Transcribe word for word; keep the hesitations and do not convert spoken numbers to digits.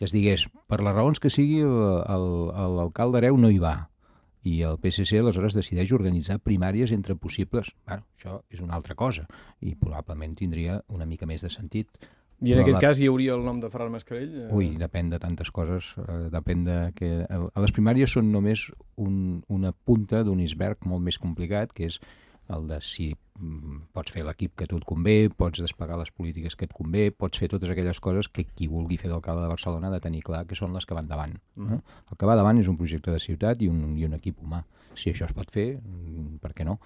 que es digués, per les raons que sigui, l'alcalde hereu no hi va. I el P S C aleshores decideix organitzar primàries entre possibles. Bueno, això és una altra cosa i probablement tindria una mica més de sentit. I en aquest la... cas hi hauria el nom de Ferran Mascarell? Eh... Ui, depèn de tantes coses. Eh, depèn de que... A les primàries són només un, una punta d'un iceberg molt més complicat, que és el de si pots fer l'equip que a tu et convé, pots desplegar les polítiques que et convé, pots fer totes aquelles coses que qui vulgui fer d'alcalde de Barcelona ha de tenir clar que són les que van davant. Mm. Eh? El que va davant és un projecte de ciutat i un, i un equip humà. Si això es pot fer, per què no?